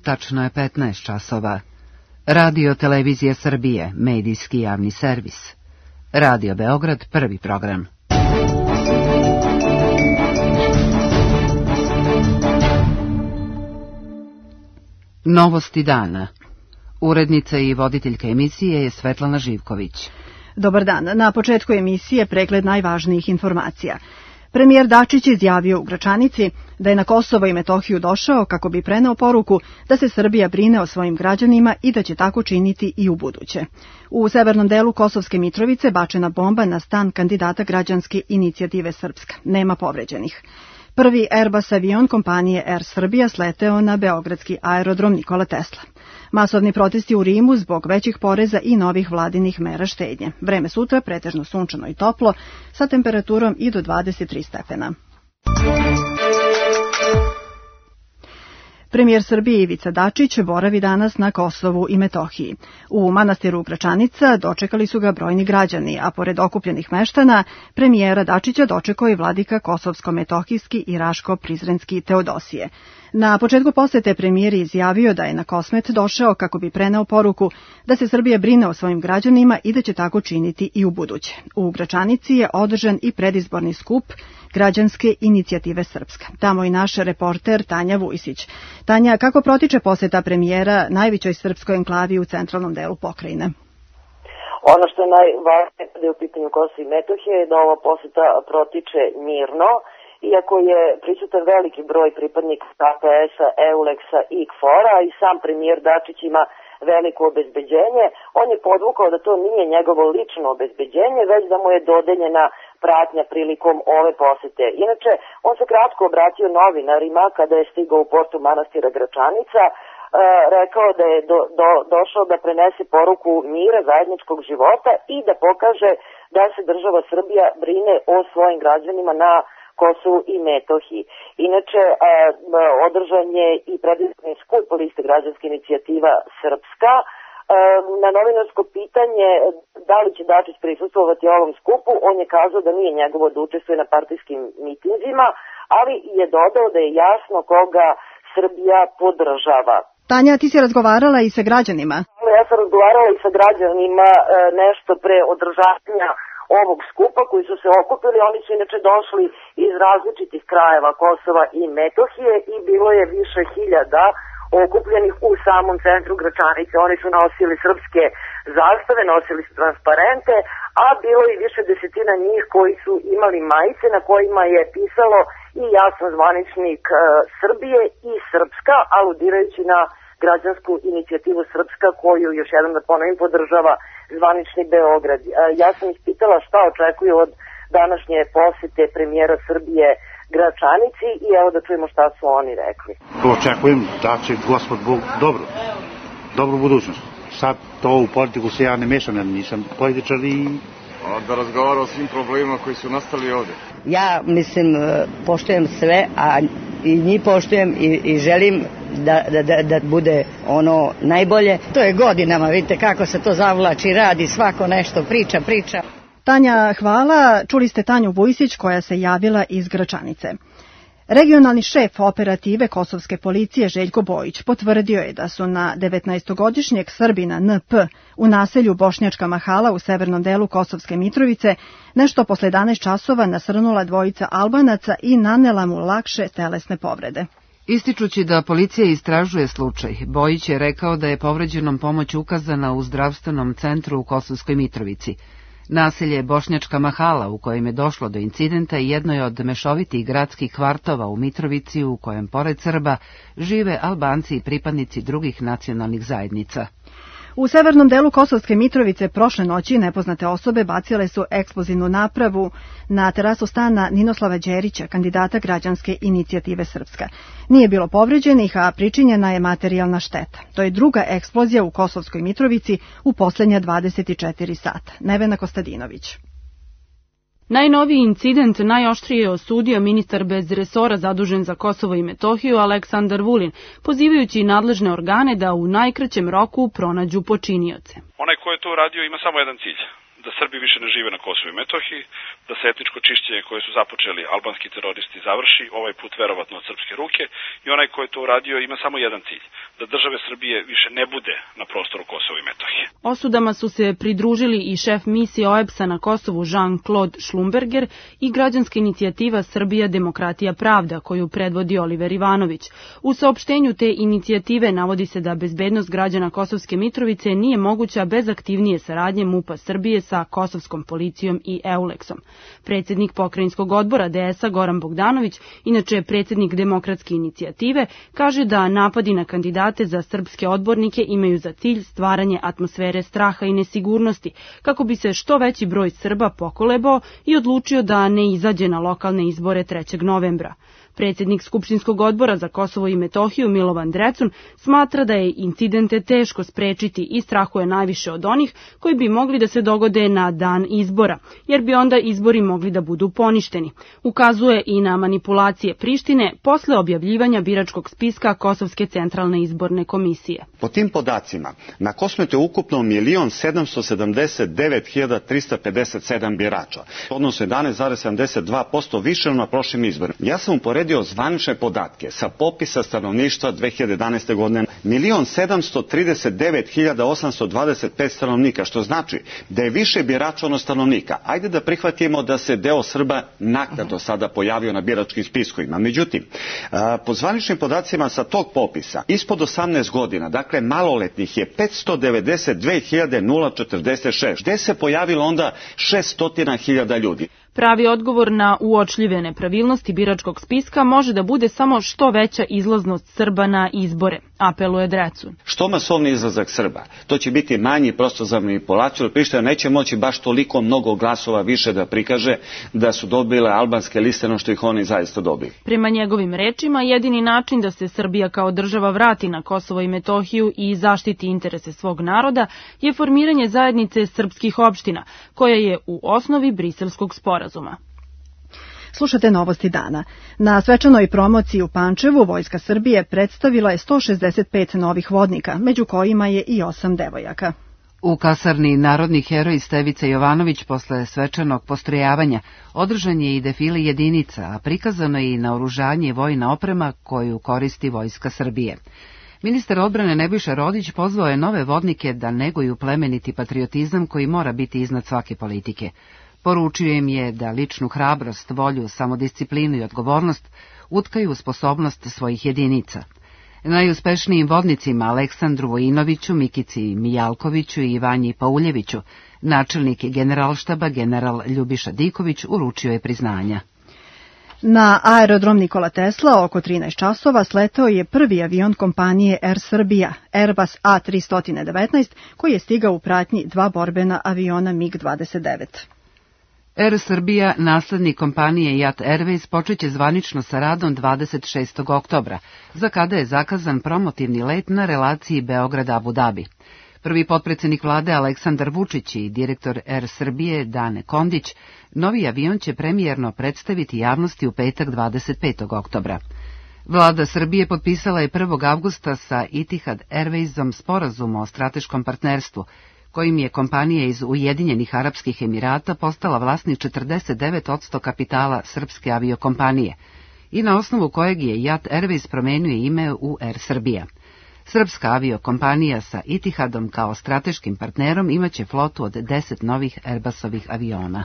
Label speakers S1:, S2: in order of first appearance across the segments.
S1: Tačno je 15 časova. Radio Televizija Srbije, medijski javni servis. Radio Beograd, prvi program. Novosti dana. Urednica i voditeljka emisije je Svetlana Živković.
S2: Dobar dan. Na početku emisije pregled najvažnijih informacija. Premijer Dačić izjavio u Gračanici da je na Kosovo i Metohiju došao kako bi preneo poruku da se Srbija brine o svojim građanima i da će tako činiti i u buduće. U severnom delu Kosovske Mitrovice bačena bomba na stan kandidata građanske inicijative Srpska. Nema povređenih. Prvi Airbus avion kompanije Air Srbija sleteo na beogradski aerodrom Nikola Tesla. Masovni protesti u Rimu zbog većih poreza i novih vladinih mera štednje. Vreme sutra pretežno sunčano i toplo, sa temperaturom i do 23 stepena. Premijer Srbije Ivica Dačić boravi danas na Kosovu i Metohiji. U manastiru Gračanica dočekali su ga brojni građani, a pored okupljenih meštana, premijera Dačića dočekao i vladika Kosovsko-Metohijski i Raško-Prizrenski Teodosije. Na početku posete premijer je izjavio da je na Kosmet došao kako bi preneo poruku da se Srbija brine o svojim građanima i da će tako činiti i u buduće. U Gračanici je održan i predizborni skup građanske inicijative Srpska. Tamo i naš reporter Tanja Vujsić. Tanja, kako protiče poseta premijera najvećoj srpskoj enklavi u centralnom delu pokrajine?
S3: Ono što je najvažnije kada je u pitanju Kosova i Metohije je da ova poseta protiče mirno, iako je prisutan veliki broj pripadnika KPS-a, EULEX-a i KFOR-a i sam premijer Dačić ima veliko obezbeđenje, on je podvukao da to nije njegovo lično obezbeđenje, već da mu je dodeljena pratnja prilikom ove posete. Inače, on se kratko obratio novinarima kada je stigao u portu manastira Gračanica, rekao da je došao da prenese poruku mira, zajedničkog života i da pokaže da se država Srbija brine o svojim građanima na Kosovu i Metohiji. Inače, održan je i predizborni skup liste građanske inicijativa Srpska. Na novinarsko pitanje da li će Dačić prisustvovati ovom skupu, on je kazao da nije njegovo da učestvuje na partijskim mitinzima, ali je dodao da je jasno koga Srbija podržava.
S2: Tanja, ti si razgovarala i sa građanima?
S3: Ja sam razgovarala i sa građanima nešto pre održavanja ovog skupa koji su se okupili. Oni su inače došli iz različitih krajeva Kosova i Metohije i bilo je više hiljada okupljenih u samom centru Gračanice. Oni su nosili srpske zastave, nosili su transparente, a bilo je više desetina njih koji su imali majice na kojima je pisalo i jasan zvaničnik Srbije i Srpska, aludirajući na građansku inicijativu Srpska koju, još jednom da ponovim, podržava zvanični Beograd. Ja sam ih pitala šta očekuju od današnje posete premijera Srbije Gračanici i evo da čujemo šta su oni rekli.
S4: Očekujem da će Gospod Bog dobru budućnost. Sad to u politiku se ja ne mešam, ja nisam političar i...
S5: Da razgovara o svim problemima koji su nastali ovde.
S6: Ja mislim, poštujem sve, a i njih poštujem i želim da bude ono najbolje. To je godinama, vidite kako se to zavlači, radi, svako nešto priča.
S2: Tanja, hvala. Čuli ste Tanju Vujsić koja se javila iz Gračanice. Regionalni šef operative kosovske policije Željko Bojić potvrdio je da su na 19-godišnjeg Srbina NP u naselju Bošnjačka Mahala u severnom delu Kosovske Mitrovice nešto posle 11 časova nasrnula dvojica Albanaca i nanela mu lakše telesne povrede.
S1: Ističući da policija istražuje slučaj, Bojić je rekao da je povređenom pomoć ukazana u zdravstvenom centru u Kosovskoj Mitrovici. Naselje Bošnjačka Mahala u kojem je došlo do incidenta i jedno je od mešovitih gradskih kvartova u Mitrovici u kojem pored Srba žive Albanci i pripadnici drugih nacionalnih zajednica.
S2: U severnom delu Kosovske Mitrovice prošle noći nepoznate osobe bacile su eksplozivnu napravu na terasu stana Ninoslava Đerića, kandidata građanske inicijative Srpska. Nije bilo povređenih, a pričinjena je materijalna šteta. To je druga eksplozija u Kosovskoj Mitrovici u poslednja 24 sata. Nevena Kostadinović.
S7: Najnoviji incident najoštrije je osudio ministar bez resora zadužen za Kosovo i Metohiju Aleksandar Vulin, pozivajući nadležne organe da u najkraćem roku pronađu počinioce.
S8: Onaj ko je to uradio ima samo jedan cilj, da Srbi više ne žive na Kosovu i Metohiji, da se etničko čišćenje koje su započeli albanski teroristi završi, ovaj put verovatno od srpske ruke, i onaj ko je to uradio ima samo jedan cilj, da države Srbije više ne bude na prostoru Kosova i Metohije.
S7: Osudama su se pridružili i šef misije OEBS-a na Kosovu Jean-Claude Schlumberger i građanska inicijativa Srbija, demokratija, pravda, koju predvodi Oliver Ivanović. U saopštenju te inicijative navodi se da bezbednost građana Kosovske Mitrovice nije moguća bez aktivnije saradnje MUP-a Srbije sa kosovskom policijom i EULEX-om. Predsjednik pokrajinskog odbora DS-a Goran Bogdanović, inače predsjednik demokratske inicijative, kaže da napadi na kandidate za srpske odbornike imaju za cilj stvaranje atmosfere straha i nesigurnosti, kako bi se što veći broj Srba pokolebao i odlučio da ne izađe na lokalne izbore 3. novembra. Predsjednik Skupštinskog odbora za Kosovo i Metohiju Milovan Drecun smatra da je incidente teško sprečiti i strahuje najviše od onih koji bi mogli da se dogode na dan izbora, jer bi onda izbori mogli da budu poništeni. Ukazuje i na manipulacije Prištine posle objavljivanja biračkog spiska Kosovske centralne izborne komisije.
S9: Po tim podacima, na Kosovu je ukupno 1.779.357 birača, odnosno 11,72% više na prošlim izborima. Ja sam uporedio zvanične podatke sa popisa stanovništva 2011. godine. 1.739.825 stanovnika, što znači da je više birača ono stanovnika. Ajde da prihvatimo da se deo Srba naknadno sada pojavio na biračkim spiskovima. Međutim, po zvaničnim podacima sa tog popisa, ispod 18 godina, dakle maloletnih je 592.046. Gde se pojavilo onda 600.000 ljudi?
S7: Pravi odgovor na uočljive nepravilnosti biračkog spiska može da bude samo što veća izlaznost Srba na izbore, apeluje Drecun.
S9: Što masovni izlazak Srba? To će biti manji prostor za manipulaciju, jer Priština neće moći baš toliko mnogo glasova više da prikaže da su dobile albanske liste no što ih oni zaista dobili.
S7: Prema njegovim rečima, jedini način da se Srbija kao država vrati na Kosovo i Metohiju i zaštiti interese svog naroda je formiranje zajednice srpskih opština, koja je u osnovi Briselskog sporazuma.
S2: Slušate Novosti dana. Na svečanoj promociji u Pančevu Vojska Srbije predstavila je 165 novih vodnika, među kojima je i 8 devojaka.
S1: U kasarni Narodni heroj Stevica Jovanović posle svečanog postrojavanja održan je i defile jedinica, a prikazano je i naoružanje i vojna oprema koju koristi Vojska Srbije. Ministar odbrane Nebojša Rodić pozvao je nove vodnike da neguju plemeniti patriotizam koji mora biti iznad svake politike. Poručio im je da ličnu hrabrost, volju, samodisciplinu i odgovornost utkaju u sposobnost svojih jedinica. Najuspešnijim vodnicima Aleksandru Vojinoviću, Mikici Mijalkoviću i Ivanji Pauljeviću, načelnik generalštaba general Ljubiša Diković uručio je priznanja.
S2: Na aerodrom Nikola Tesla oko 13 časova sletao je prvi avion kompanije Air Srbija, Airbus A319, koji je stigao u pratnji 2 borbena aviona MiG-29.
S1: Air Srbija, naslednik kompanije Jat Airways, počeće zvanično sa radom 26. oktobra, za kada je zakazan promotivni let na relaciji Beograd-Abu Dhabi. Prvi potpredsjednik vlade Aleksandar Vučić i direktor Air Srbije Dane Kondić novi avion će premijerno predstaviti javnosti u petak 25. oktobra. Vlada Srbije potpisala je 1. avgusta sa Etihad Airwaysom sporazum o strateškom partnerstvu, kojim je kompanija iz Ujedinjenih Arapskih Emirata postala vlasnik 49% kapitala srpske aviokompanije i na osnovu kojeg je Jat Airways promenio ime u Air Srbija. Srpska aviokompanija sa Etihadom kao strateškim partnerom imaće flotu od 10 novih Airbusovih aviona.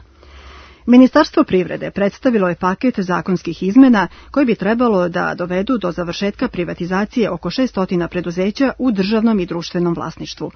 S2: Ministarstvo privrede predstavilo je paket zakonskih izmena koji bi trebalo da dovedu do završetka privatizacije oko 600 preduzeća u državnom i društvenom vlasništvu.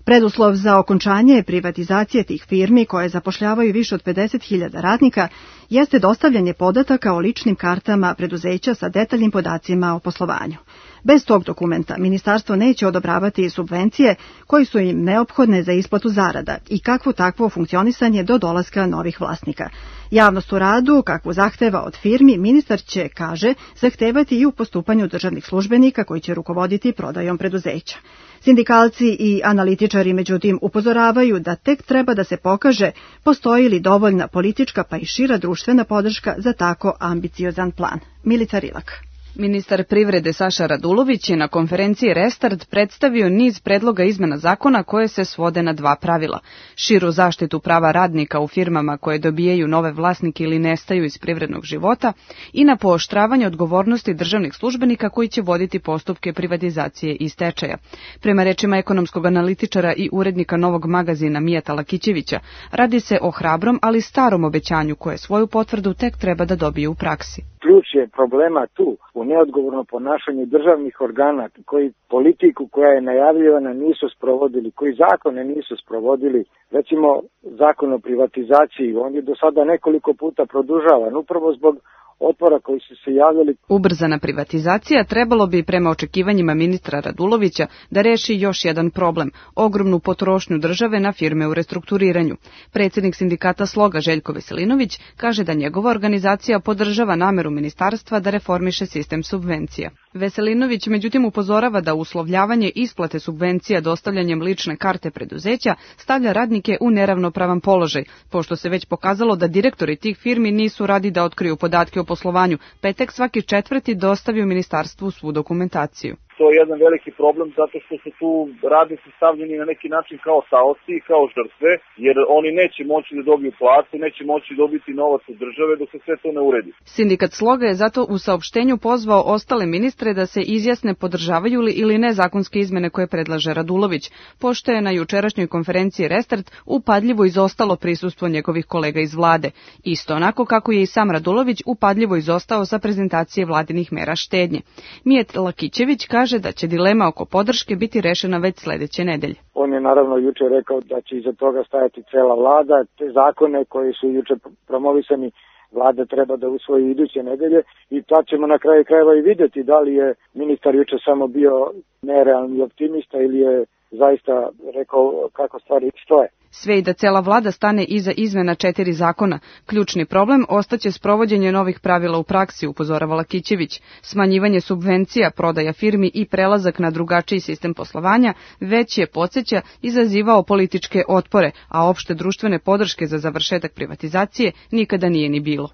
S2: Preduslov za okončanje privatizacije tih firmi koje zapošljavaju više od 50.000 radnika jeste dostavljanje podataka o ličnim kartama preduzeća sa detaljnim podacima o poslovanju. Bez tog dokumenta ministarstvo neće odobravati subvencije koje su im neophodne za isplatu zarada i kakvo takvo funkcionisanje do dolaska novih vlasnika. Javnost u radu, kakvu zahteva od firmi, ministar će, kaže, zahtevati i u postupanju državnih službenika koji će rukovoditi prodajom preduzeća. Sindikalci i analitičari, međutim, upozoravaju da tek treba da se pokaže postoji li dovoljna politička pa i šira društvena podrška za tako ambiciozan plan. Milica Rilak.
S10: Ministar privrede Saša Radulović je na konferenciji Restart predstavio niz predloga izmena zakona koje se svode na dva pravila. Širu zaštitu prava radnika u firmama koje dobijaju nove vlasnike ili nestaju iz privrednog života i na pooštravanje odgovornosti državnih službenika koji će voditi postupke privatizacije i stečaja. Prema rečima ekonomskog analitičara i urednika Novog magazina Mijata Lakićevića, radi se o hrabrom, ali starom obećanju koje svoju potvrdu tek treba da dobije u praksi.
S11: Ključ je problema tu u neodgovornom ponašanju državnih organa koji politiku koja je najavljivana nisu sprovodili, koji zakone nisu sprovodili. Recimo zakon o privatizaciji, on je do sada nekoliko puta produžavan upravo zbog otpora koji su se javljali.
S10: Ubrzana privatizacija trebalo bi prema očekivanjima ministra Radulovića da reši još jedan problem, ogromnu potrošnju države na firme u restrukturiranju. Predsjednik sindikata Sloga Željko Veselinović kaže da njegova organizacija podržava nameru ministarstva da reformiše sistem subvencija. Veselinović međutim upozorava da uslovljavanje isplate subvencija dostavljanjem lične karte preduzeća stavlja radnike u neravnopravan položaj, pošto se već pokazalo da direktori tih firmi nisu radi da otkriju podatke o poslovanju, pa je tek svaki četvrti dostavio ministarstvu svu dokumentaciju.
S12: To je jedan veliki problem zato što su tu radnici stavljeni na neki način kao taoci i kao žrtve, jer oni neće moći da dobiju platu, neće moći dobiti novac od države dok se sve to ne uredi.
S10: Sindikat Sloga je zato u saopštenju pozvao ostale ministre da se izjasne podržavaju li ili ne zakonske izmene koje predlaže Radulović, pošto je na jučerašnjoj konferenciji Restart upadljivo izostalo prisustvo njegovih kolega iz vlade. Isto onako kako je i sam Radulović upadljivo izostao sa prezentacije vladinih mera štednje. Mijat Lakićević kaže da će dilema oko podrške biti rešena već sledeće nedelje.
S11: On je naravno juče rekao da će iza toga stajati cela vlada, te zakone koji su juče promovisani vlada treba da usvoji iduće nedelje i tad ćemo na kraju krajeva i vidjeti da li je ministar juče samo bio nerealni optimista ili je zaista rekao kako stvari stoje.
S10: Sve i da cela vlada stane iza izmena 4 zakona, ključni problem ostaće sprovođenje novih pravila u praksi, upozorava Lakićević. Smanjivanje subvencija, prodaja firmi i prelazak na drugačiji sistem poslovanja već je, podsjeća, izazivao političke otpore, a opšte društvene podrške za završetak privatizacije nikada nije ni bilo.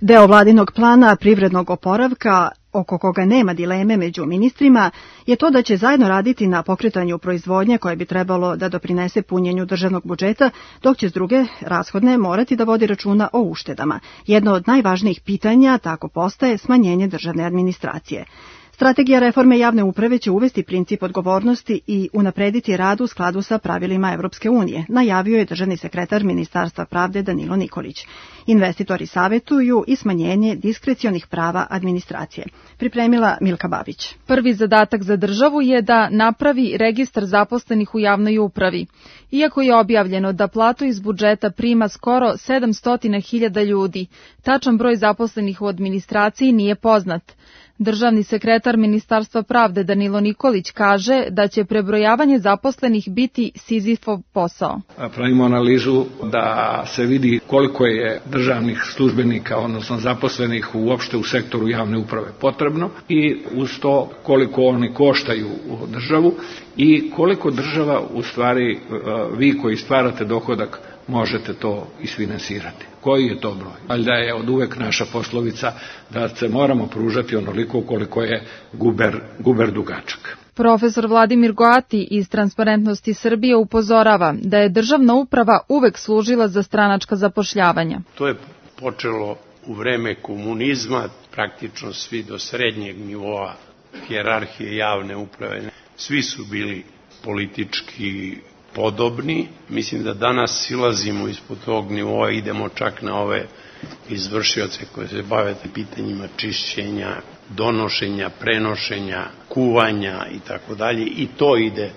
S2: Deo vladinog plana privrednog oporavka, oko koga nema dileme među ministrima, je to da će zajedno raditi na pokretanju proizvodnje koje bi trebalo da doprinese punjenju državnog budžeta, dok će s druge rashodne morati da vodi računa o uštedama. Jedno od najvažnijih pitanja tako postaje smanjenje državne administracije. Strategija reforme javne uprave će uvesti princip odgovornosti i unaprediti rad u skladu sa pravilima Evropske unije, najavio je državni sekretar Ministarstva pravde Danilo Nikolić. Investitori savetuju i smanjenje diskrecionih prava administracije. Pripremila Milka Babić.
S13: Prvi zadatak za državu je da napravi registar zaposlenih u javnoj upravi. Iako je objavljeno da platu iz budžeta prima skoro 700.000 ljudi, tačan broj zaposlenih u administraciji nije poznat. Državni sekretar Ministarstva pravde Danilo Nikolić kaže da će prebrojavanje zaposlenih biti Sizifov posao.
S14: Pravimo analizu da se vidi koliko je državnih službenika, odnosno zaposlenih uopšte u sektoru javne uprave potrebno i uz to koliko oni koštaju državu i koliko država u stvari, vi koji stvarate dohodak, možete to isfinansirati. Koji je to broj? Valjda je od uvek naša poslovica da se moramo pružati onoliko koliko je guber dugačak.
S13: Profesor Vladimir Goati iz Transparentnosti Srbije upozorava da je državna uprava uvek služila za stranačka zapošljavanja.
S15: To je počelo u vreme komunizma, praktično svi do srednjeg nivoa hijerarhije javne uprave. Svi su bili politički podobni. Mislim da danas silazimo ispod tog nivoa, idemo čak na ove izvršioce koje se bave pitanjima čišćenja, donošenja, prenošenja, kuvanja i tako dalje, i to ide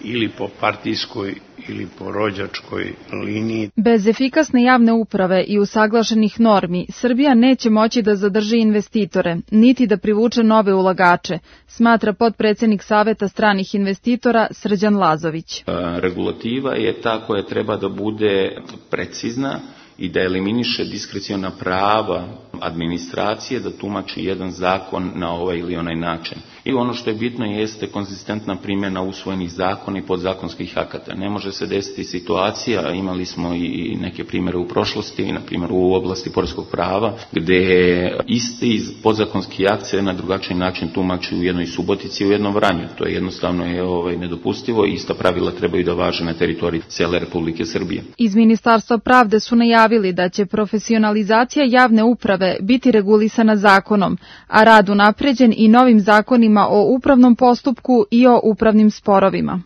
S15: ili po partijskoj ili po rođačkoj liniji.
S13: Bez efikasne javne uprave i usaglašenih normi, Srbija neće moći da zadrži investitore, niti da privuče nove ulagače, smatra potpredsednik Saveta stranih investitora Srđan Lazović.
S16: Regulativa je ta koja treba da bude precizna i da eliminiše diskreciona prava administracije da tumači jedan zakon na ovaj ili onaj način. I ono što je bitno jeste konzistentna primjena usvojenih zakona i podzakonskih akata. Ne može se desiti situacija, imali smo i neke primjere u prošlosti, na primjer u oblasti poreskog prava, gdje isti podzakonski akt se na drugačiji način tumači u jednoj Subotici i u jednom Vranju. To je jednostavno nedopustivo i ista pravila trebaju da važe na teritoriji cijele Republike Srbije.
S13: Iz Ministarstva pravde su najavili da će profesionalizacija javne uprave biti regulisana zakonom, a rad unapređen i novim zakonima o upravnom postupku i o upravnim sporovima.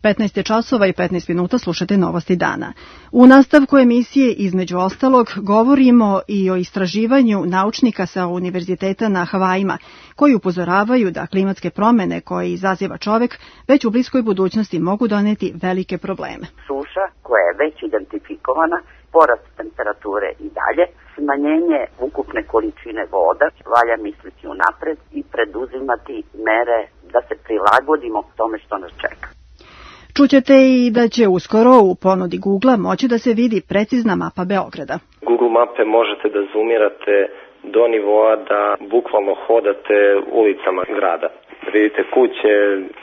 S2: 15 časova i 15 minuta slušate Novosti dana. U nastavku emisije, između ostalog, govorimo i o istraživanju naučnika sa univerziteta na Havajima, koji upozoravaju da klimatske promene koje izaziva čovek već u bliskoj budućnosti mogu doneti velike probleme.
S17: Suša koja je već identifikovana, porast temperature i dalje, smanjenje ukupne količine voda, valja misliti unapred i preduzimati mere da se prilagodimo tome što nas čeka.
S2: Čućete i da će uskoro u ponudi Google-a moći da se vidi precizna mapa Beograda.
S18: Google mape možete da zoomirate do nivoa da bukvalno hodate ulicama grada. Vidite kuće,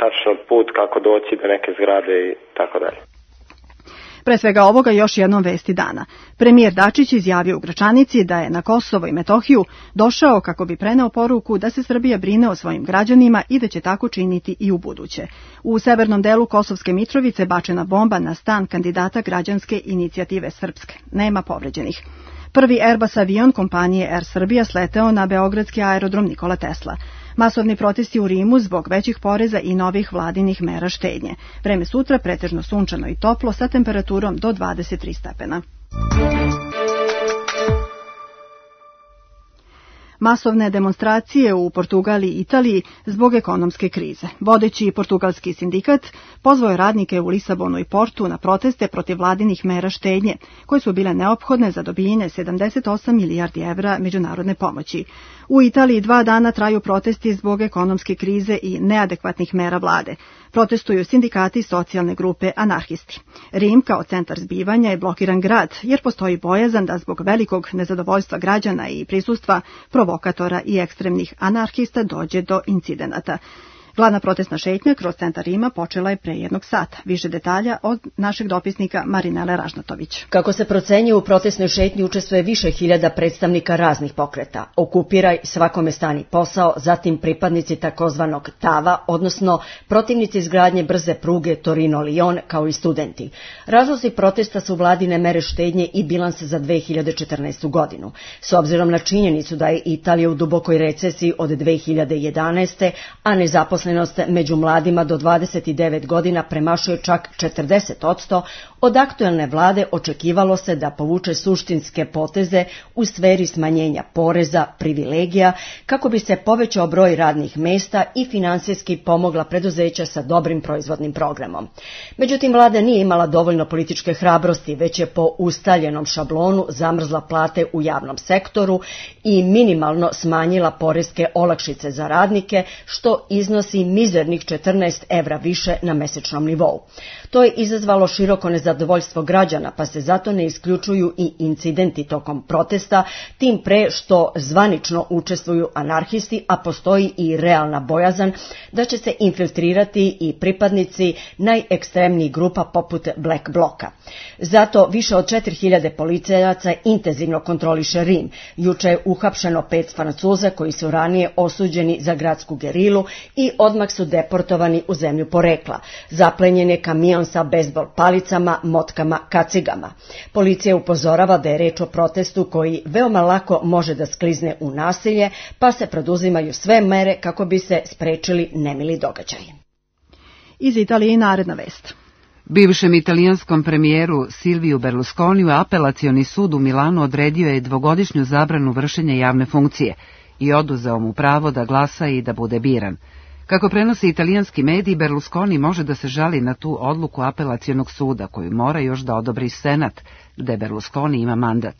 S18: tačno put kako doći do neke zgrade i tako dalje.
S2: Pre svega ovoga još jednom vesti dana. Premijer Dačić izjavio u Gračanici da je na Kosovo i Metohiju došao kako bi preneo poruku da se Srbija brine o svojim građanima i da će tako činiti i u buduće. U severnom delu Kosovske Mitrovice bačena bomba na stan kandidata građanske inicijative Srpske. Nema povređenih. Prvi Airbus avion kompanije Air Srbija sleteo na beogradski aerodrom Nikola Tesla. Masovni protesti u Rimu zbog većih poreza i novih vladinih mera štednje. Vreme sutra pretežno sunčano i toplo sa temperaturom do 23 stepena. Masovne demonstracije u Portugaliji i Italiji zbog ekonomske krize. Vodeći portugalski sindikat pozvao je radnike u Lisabonu i Portu na proteste protiv vladinih mera štednje, koje su bile neophodne za dobijanje 78 milijardi evra međunarodne pomoći. U Italiji 2 dana traju protesti zbog ekonomske krize i neadekvatnih mera vlade. Protestuju sindikati i socijalne grupe anarhisti. Rim kao centar zbivanja je blokiran grad, jer postoji bojazan da zbog velikog nezadovoljstva građana i prisustva provokatora i ekstremnih anarhista dođe do incidenata. Glavna protestna šetnja kroz centar Rima počela je pre 1 sata. Više detalja od našeg dopisnika Marinele Ražnatović.
S19: Kako se procenjuje, u protestnoj šetnji učestvuje više hiljada predstavnika raznih pokreta. Okupiraj, svakome stani posao, zatim pripadnici takozvanog TAVA, odnosno protivnici izgradnje brze pruge Torino-Lion, kao i studenti. Razlozi protesta su vladine mere štednje i bilans za 2014. godinu. S obzirom na činjenicu da je Italija u dubokoj recesiji od 2011. a nezaposlenost među mladima do 29 godina premašuje čak 40%, od aktuelne vlade očekivalo se da povuče suštinske poteze u sferi smanjenja poreza, privilegija, kako bi se povećao broj radnih mesta i finansijski pomogla preduzeća sa dobrim proizvodnim programom. Međutim, vlada nije imala dovoljno političke hrabrosti, već je po ustaljenom šablonu zamrzla plate u javnom sektoru i minimalno smanjila poreske olakšice za radnike, što iznosi mizernih 14 evra više na mesečnom nivou. To je izazvalo široko nezadovoljstvo građana, pa se zato ne isključuju i incidenti tokom protesta, tim pre što zvanično učestvuju anarhisti, a postoji i realna bojazan da će se infiltrirati i pripadnici najekstremnijih grupa poput Black Bloka. Zato više od 4000 policajaca intenzivno kontroliše Rim. Juče je uhapšeno 5 Francuza koji su ranije osuđeni za gradsku gerilu i odmah su deportovani u zemlju porekla. Zaplenjen je kamion sa bejzbol palicama, motkama, kacigama. Policija upozorava da je reč o protestu koji veoma lako može da sklizne u nasilje, pa se preduzimaju sve mere kako bi se sprečili nemili događaji.
S2: Iz Italije naredna vest.
S1: Bivšem italijanskom premijeru Silviju Berlusconiju apelacioni sud u Milanu odredio je 2-godišnju zabranu vršenja javne funkcije i oduzeo mu pravo da glasa i da bude biran. Kako prenosi italijanski mediji, Berlusconi može da se žali na tu odluku apelacionog suda, koju mora još da odobri Senat, gde Berlusconi ima mandat.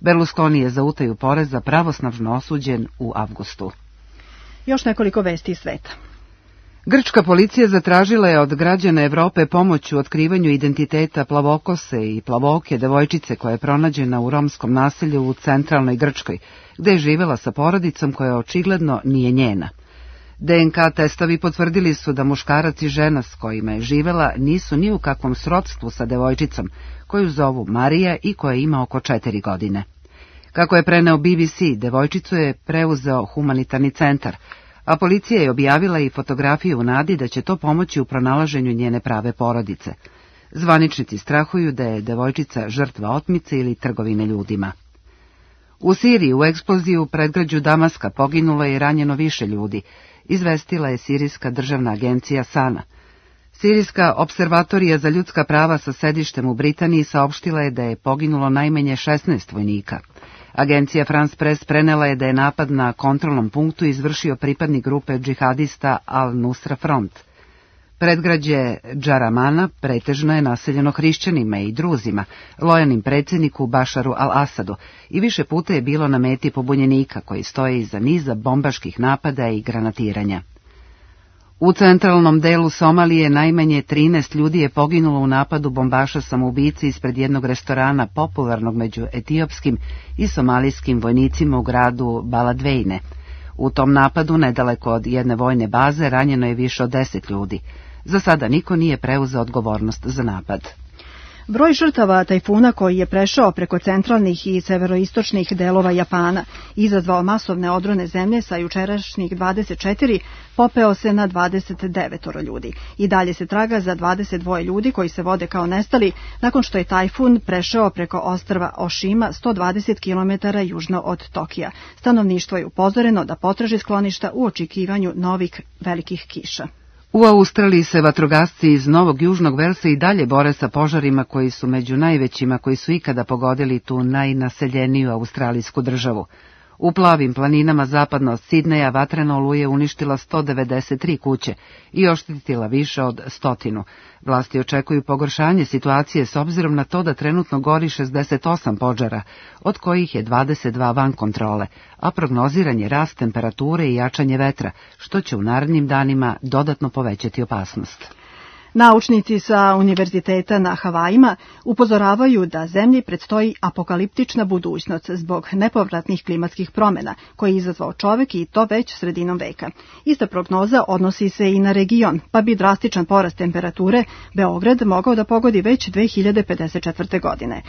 S1: Berlusconi je za utaju poreza pravosnažno osuđen u avgustu.
S2: Još nekoliko vesti iz sveta.
S1: Grčka policija zatražila je od građana Evrope pomoć u otkrivanju identiteta plavokose i plavooke devojčice koja je pronađena u romskom naselju u centralnoj Grčkoj, gde je živela sa porodicom koja očigledno nije njena. DNK testovi potvrdili su da muškarac i žena s kojima je živela nisu ni u kakvom srodstvu sa devojčicom, koju zovu Marija i koja ima oko 4 godine. Kako je preneo BBC, devojčicu je preuzeo humanitarni centar, a policija je objavila i fotografiju u nadi da će to pomoći u pronalaženju njene prave porodice. Zvaničnici strahuju da je devojčica žrtva otmice ili trgovine ljudima. U Siriji u eksploziju u predgrađu Damaska poginulo je i ranjeno više ljudi, izvestila je Sirijska državna agencija SANA. Sirijska observatorija za ljudska prava sa sedištem u Britaniji saopštila je da je poginulo najmanje 16 vojnika. Agencija France Press prenela je da je napad na kontrolnom punktu izvršio pripadnik grupe džihadista Al-Nusra Front. Predgrađe Džaramana pretežno je naseljeno hrišćanima i druzima, lojalnim predsjedniku Bašaru al-Asadu, i više puta je bilo na meti pobunjenika koji stoje iza niza bombaških napada i granatiranja. U centralnom delu Somalije najmanje 13 ljudi je poginulo u napadu bombaša samoubici ispred jednog restorana popularnog među etiopskim i somalijskim vojnicima u gradu Baladvejne. U tom napadu, nedaleko od jedne vojne baze, ranjeno je više od 10 ljudi. Za sada niko nije preuzeo odgovornost za napad.
S2: Broj žrtava tajfuna koji je prešao preko centralnih i severoistočnih delova Japana i izazvao masovne odrone zemlje sa jučerašnjih 24 popeo se na 29 ljudi. I dalje se traga za 22 ljudi koji se vode kao nestali nakon što je tajfun prešao preko ostrva Oshima 120 km južno od Tokija. Stanovništvo je upozoreno da potraži skloništa u očekivanju novih velikih kiša.
S1: U Australiji se vatrogasci iz Novog Južnog Velsa i dalje bore sa požarima koji su među najvećima koji su ikada pogodili tu najnaseljeniju australijsku državu. U plavim planinama zapadno od Sidneja vatrena oluja uništila 193 kuće i oštetila više od 100. Vlasti očekuju pogoršanje situacije s obzirom na to da trenutno gori 68 požara, od kojih je 22 van kontrole, a prognoziran je rast temperature i jačanje vetra, što će u narednim danima dodatno povećati opasnost.
S2: Naučnici sa univerziteta na Havajima upozoravaju da zemlji predstoji apokaliptična budućnost zbog nepovratnih klimatskih promjena koje je izazvao čovek i to već sredinom veka. Ista prognoza odnosi se i na region, pa bi drastičan porast temperature Beograd mogao da pogodi već 2054. godine.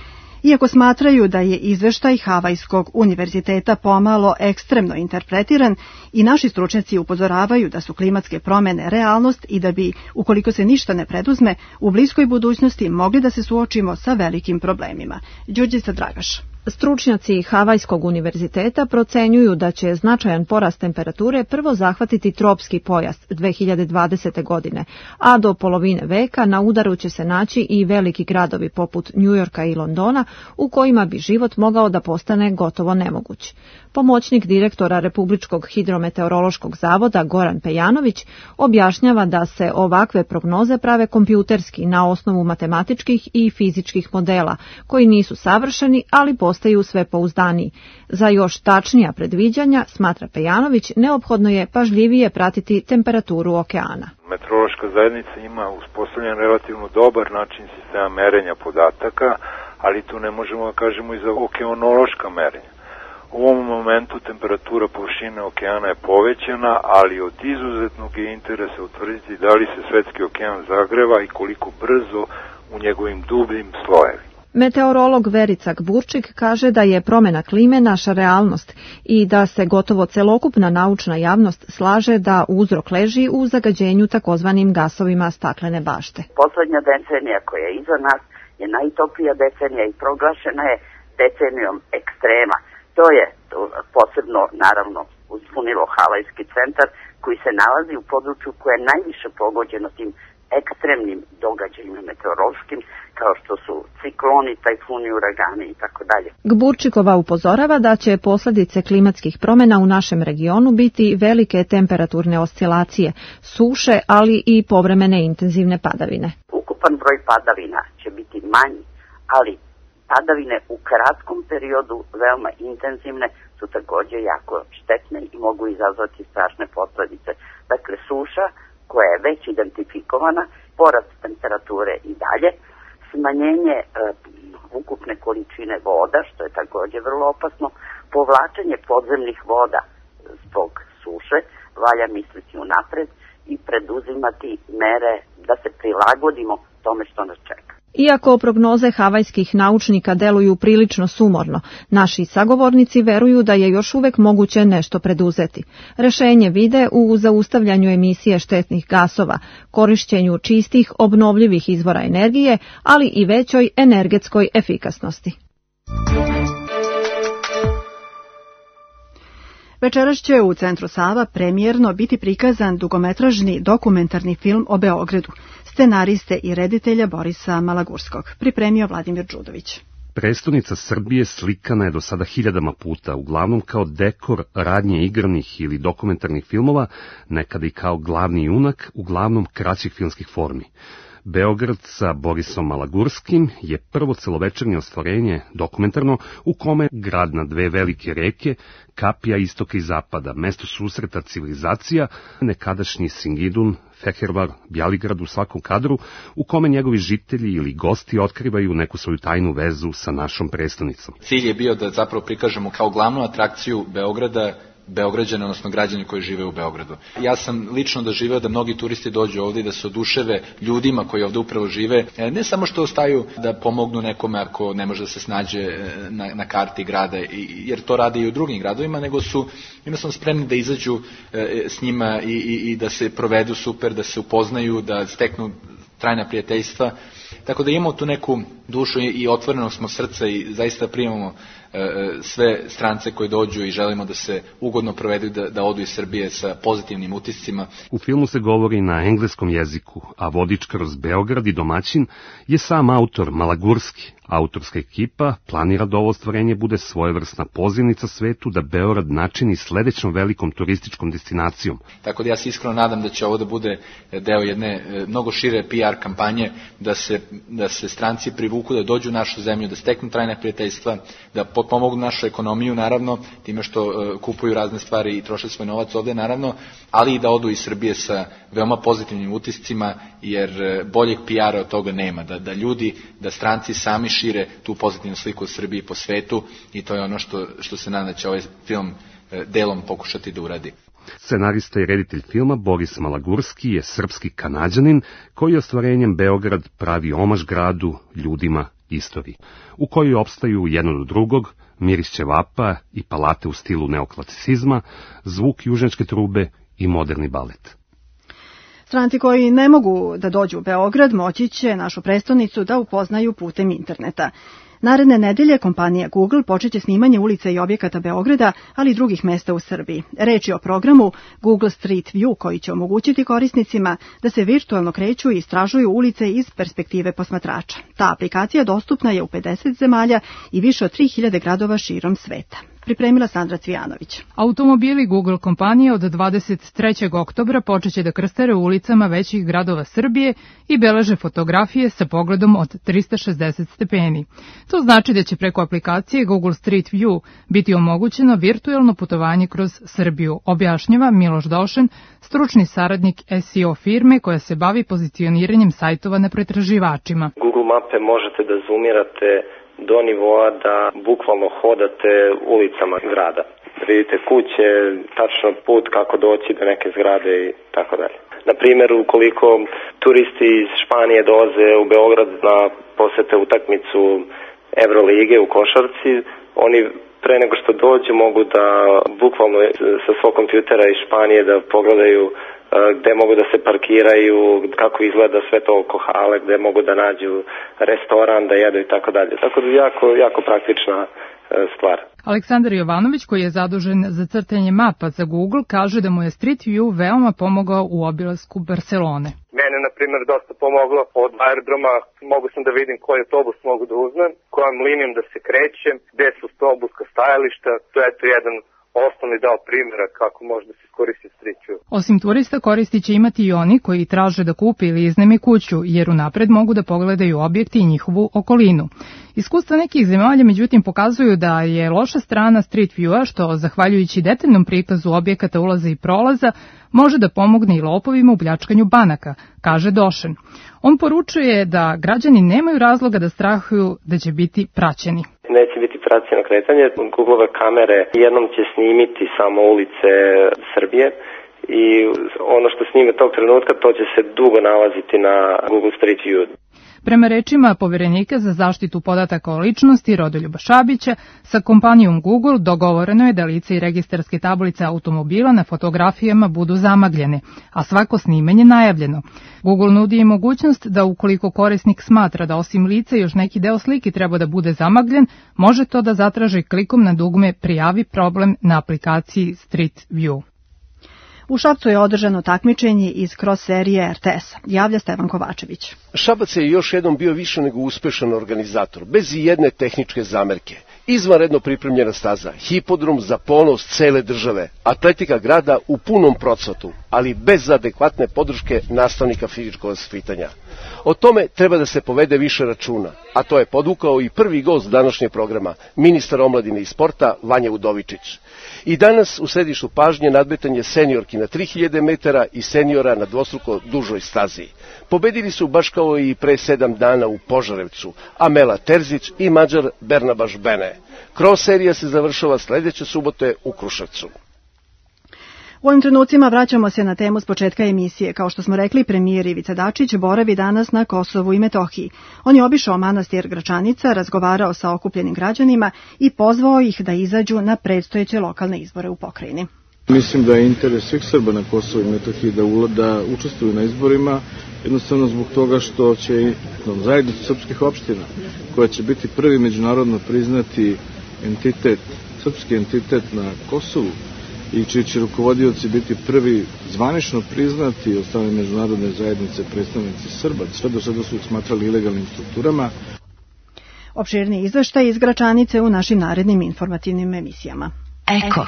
S2: Iako smatraju da je izveštaj Havajskog univerziteta pomalo ekstremno interpretiran, i naši stručnjaci upozoravaju da su klimatske promjene realnost i da bi, ukoliko se ništa ne preduzme, u bliskoj budućnosti mogli da se suočimo sa velikim problemima. Đurđica Dragaš.
S13: Stručnjaci Havajskog univerziteta procenjuju da će značajan porast temperature prvo zahvatiti tropski pojas 2020. godine, a do polovine veka na udaru će se naći i veliki gradovi poput Njujorka i Londona, u kojima bi život mogao da postane gotovo nemoguć. Pomoćnik direktora Republičkog hidrometeorološkog zavoda Goran Pejanović objašnjava da se ovakve prognoze prave kompjuterski na osnovu matematičkih i fizičkih modela, koji nisu savršeni, ali postaju sve pouzdaniji. Za još tačnija predviđanja, smatra Pejanović, neophodno je pažljivije pratiti temperaturu okeana.
S20: Meteorološka zajednica ima uspostavljen relativno dobar način sistema merenja podataka, ali tu ne možemo da kažemo i za okeanološka merenja. U ovom momentu temperatura površine okeana je povećana, ali od izuzetnog je interesa utvrditi da li se svetski okean zagreva i koliko brzo u njegovim dubljim slojevima.
S13: Meteorolog Verica Gburčik kaže da je promjena klime naša realnost i da se gotovo celokupna naučna javnost slaže da uzrok leži u zagađenju takozvanim gasovima staklene bašte.
S17: Poslednja decenija koja je iza nas je najtoplija decenija i proglašena je decenijom ekstrema. To je posebno, naravno, uspunilo Havajski centar koji se nalazi u području koje je najviše pogođeno tim ekstremnim događajima meteorološkim, kao što su cikloni, tajfuni, uragani i tako dalje.
S13: Gburčikova upozorava da će posljedice klimatskih promjena u našem regionu biti velike temperaturne oscilacije, suše, ali i povremene intenzivne padavine.
S17: Ukupan broj padavina će biti manji, ali padavine u kratkom periodu, veoma intenzivne, su također jako štetne i mogu izazvati strašne posljedice. Dakle, suša koja je već identifikovana, porast temperature i dalje, smanjenje ukupne količine voda, što je takođe vrlo opasno, povlačenje podzemnih voda zbog suše, valja misliti unapred i preduzimati mere da se prilagodimo tome što nas čeka.
S21: Iako prognoze havajskih naučnika deluju prilično sumorno, naši sagovornici veruju da je još uvek moguće nešto preduzeti. Rešenje vide u zaustavljanju emisije štetnih gasova, korišćenju čistih, obnovljivih izvora energije, ali i većoj energetskoj efikasnosti.
S2: Večeras će u Centru Sava premijerno biti prikazan dugometražni dokumentarni film o Beogradu, scenariste i reditelja Borisa Malagurskog, pripremio Vladimir Đudović.
S22: Prestonica Srbije slikana je do sada hiljadama puta, uglavnom kao dekor radnje igranih ili dokumentarnih filmova, nekada i kao glavni junak, uglavnom kraćih filmskih formi. Beograd sa Borisom Malagurskim je prvo celovečernje ostvarenje dokumentarno u kome grad na dve velike reke, kapija istoka i zapada, mesto susreta civilizacija, nekadašnji Singidun, Fehervar, Bjaligrad u svakom kadru, u kome njegovi žitelji ili gosti otkrivaju neku svoju tajnu vezu sa našom prestonicom.
S23: Cilj je bio da zapravo prikažemo kao glavnu atrakciju Beograda Beograđane, odnosno građani koji žive u Beogradu. Ja sam lično doživeo da mnogi turisti dođu ovdje i da se oduševe ljudima koji ovdje upravo žive, ne samo što ostaju da pomognu nekome ako ne može da se snađe na karti grada, jer to rade i u drugim gradovima, nego su jednostavno spremni da izađu s njima i da se provedu super, da se upoznaju, da steknu trajna prijateljstva. Tako da imamo tu neku dušu i otvoreno smo srca i zaista primamo sve strance koji dođu i želimo da se ugodno provedu, da odu iz Srbije sa pozitivnim utiscima.
S22: U filmu se govori na engleskom jeziku, a vodič kroz Beograd i domaćin je sam autor Malagurski. Autorska ekipa planira da ovo ostvarenje bude svojevrsna pozivnica svetu da Beograd načini sledećom velikom turističkom destinacijom.
S23: Tako da ja se iskreno nadam da će ovo da bude deo jedne mnogo šire PR kampanje, da se stranci privuku, da dođu u našu zemlju, da steknu trajna prijateljstva, da potpomognu našu ekonomiju, naravno, time što kupuju razne stvari i troše svoj novac ovde, naravno, ali i da odu iz Srbije sa veoma pozitivnim utiscima, jer boljeg PR-a od toga nema, da ljudi, da stranci sami šire tu pozitivnu sliku o Srbiji po svetu i to je ono što se nadam da će ovaj film delom pokušati da uradi.
S22: Scenarista i reditelj filma Boris Malagurski je srpski Kanađanin koji ostvarenjem Beograd pravi omaž gradu, ljudima, istoriji, u kojoj opstaju jedno do drugog miris ćevapa i palate u stilu neoklasicizma, zvuk južnjačke trube i moderni balet.
S2: Stranci koji ne mogu da dođu u Beograd moći će našu prestonicu da upoznaju putem interneta. Naredne nedelje kompanija Google počeće snimanje ulica i objekata Beograda, ali i drugih mesta u Srbiji. Reč je o programu Google Street View koji će omogućiti korisnicima da se virtualno kreću i istražuju ulice iz perspektive posmatrača. Ta aplikacija dostupna je u 50 zemalja i više od 3000 gradova širom sveta. Pripremila Sandra Cvijanović.
S13: Automobili Google kompanije od 23. oktobra počeće da krstare ulicama većih gradova Srbije i beleže fotografije sa pogledom od 360 stepeni. To znači da će preko aplikacije Google Street View biti omogućeno virtualno putovanje kroz Srbiju, objašnjava Miloš Došen, stručni saradnik SEO firme koja se bavi pozicioniranjem sajtova na pretraživačima.
S18: Google mape možete da zoomirate do nivoa da bukvalno hodate ulicama grada. Vidite kuće, tačno put kako doći do neke zgrade i tako dalje. Na primjer, ukoliko turisti iz Španije dolaze u Beograd na posete utakmicu Evrolige u košarci, oni pre nego što dođu mogu da bukvalno sa svog kompjutera iz Španije da pogledaju gde mogu da se parkiraju, kako izgleda sve to oko hale, gde mogu da nađu restoran, da jedu i tako dalje. Tako da jako praktična stvar.
S13: Aleksandar Jovanović, koji je zadužen za crtanje mapa za Google, kaže da mu je Street View veoma pomogao u obilasku Barcelone.
S24: Mene, na primjer, dosta pomoglo od aerodroma. Mogu sam da vidim koji autobus mogu da uzmem, kojom linijom da se krećem, gde su autobuska stajališta. To je jedan osnovni deo primjera kako može da se iskoristi Street View.
S3: Osim turista, koristi će imati i oni koji traže da kupe ili iznajme kuću, jer unapred mogu da pogledaju objekte i njihovu okolinu. Iskustva nekih zemalja međutim pokazuju da je loša strana Street View-a, što zahvaljujući detaljnom prikazu objekata ulaza i prolaza, može da pomogne i lopovima u pljačkanju banaka, kaže Došen. On poručuje da građani nemaju razloga da strahuju da će biti praćeni.
S18: Neće biti praćeno kretanje. Google-ove kamere jednom će snimiti samo ulice Srbije i ono što snime tog trenutka, to će se dugo nalaziti na Google Street View.
S3: Prema rečima poverenika za zaštitu podataka o ličnosti Rodoljuba Šabića, sa kompanijom Google dogovoreno je da lice i registarske tablice automobila na fotografijama budu zamagljene, a svako snimanje najavljeno. Google nudi i mogućnost da ukoliko korisnik smatra da osim lica još neki deo slike treba da bude zamagljen, može to da zatraži klikom na dugme Prijavi problem na aplikaciji Street View.
S2: U Šapcu je održano takmičenje iz cross serije RTS-a. Javlja Stevan Kovačević.
S4: Šabac je još jednom bio više nego uspešan organizator, bez i jedne tehničke zamerke. Izvanredno pripremljena staza, hipodrom za ponos cele države, atletika grada u punom procvatu, ali bez adekvatne podrške nastavnika fizičkog vaspitanja. O tome treba da se povede više računa, a to je podvukao i prvi gost današnjeg programa, ministar omladine i sporta Vanja Udovičić. I danas u središtu pažnje nadmetanje seniorki na 3000 metara i seniora na dvostruko dužoj stazi. Pobedili su baš kao i pre 7 dana u Požarevcu, Amela Terzić i Mađar Bernabaš Bene. Cross serija se završava sledeće subote u Kruševcu.
S2: U ovim trenucima vraćamo se na temu s početka emisije. Kao što smo rekli, premijer Ivica Dačić boravi danas na Kosovu i Metohiji. On je obišao manastir Gračanica, razgovarao sa okupljenim građanima i pozvao ih da izađu na predstojeće lokalne izbore u pokrajini.
S5: Mislim da je interes svih Srba na Kosovu i Metohiji da učestvuju na izborima, jednostavno zbog toga što će zajednicu srpskih opština, koja će biti prvi međunarodno priznati entitet, srpski entitet na Kosovu, i čiji će rukovodioci biti prvi zvanično priznati od strane međunarodne zajednice predstavnici Srba. Sve do sada su ih smatrali ilegalnim strukturama.
S2: Opširni izveštaj iz Gračanice u našim narednim informativnim emisijama.
S6: Eko.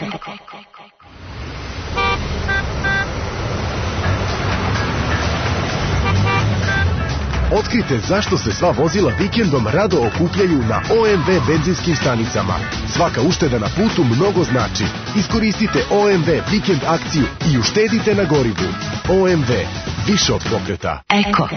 S6: Otkrite zašto se sva vozila vikendom rado okupljaju na OMV benzinskim stanicama. Svaka ušteda na putu mnogo znači. Iskoristite OMV vikend akciju i uštedite na gorivu. OMV, više od pokreta. Eko.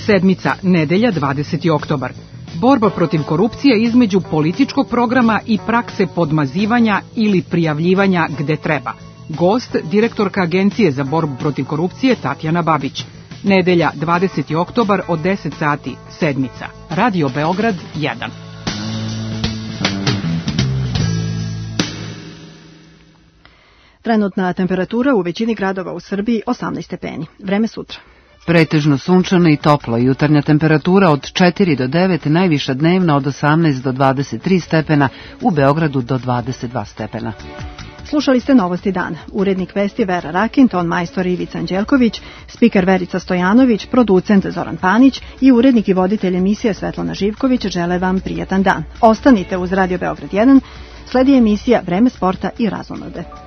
S25: Sedmica, nedelja, 20. oktobar. Borba protiv korupcije između političkog programa i prakse podmazivanja ili prijavljivanja gde treba. Gost, direktorka Agencije za borbu protiv korupcije Tatjana Babić. Nedelja, 20. oktobar od 10 sati, sedmica. Radio Beograd 1.
S2: Trenutna temperatura u većini gradova u Srbiji 18 stepeni. Vreme sutra.
S1: Pretežno sunčano i toplo, jutarnja temperatura od 4 do 9, najviša dnevna od 18 do 23 stepena, u Beogradu do 22 stepena.
S2: Slušali ste Novosti dana. Urednik vesti Vera Rakin, ton majstor Ivica Anđelković, spiker Verica Stojanović, producent Zoran Panić i urednik i voditelj emisije Svetlana Živković žele vam prijatan dan. Ostanite uz Radio Beograd 1, sledi emisija Vreme sporta i razonode.